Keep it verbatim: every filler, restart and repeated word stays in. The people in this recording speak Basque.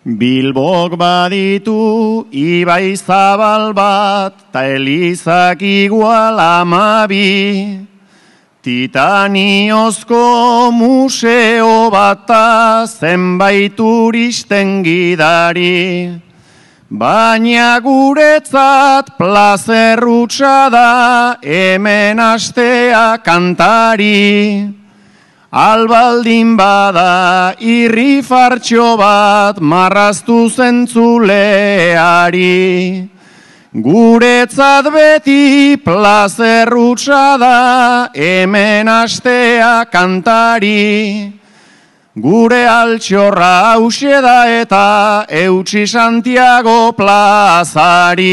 Bilbok baditu ibai zabal bat, ta elizak igual amabi. Titaniozko museo bata zenbait turisten gidari. Baina guretzat plazer hutsa da hemen astea kantari. Albaldin bada irri fartxo bat marraztu zentzuleari. Guretzat beti plazer hutsa da hemen astea kantari. Gure altxorra hauxe da eta eutsi Santiago plazari.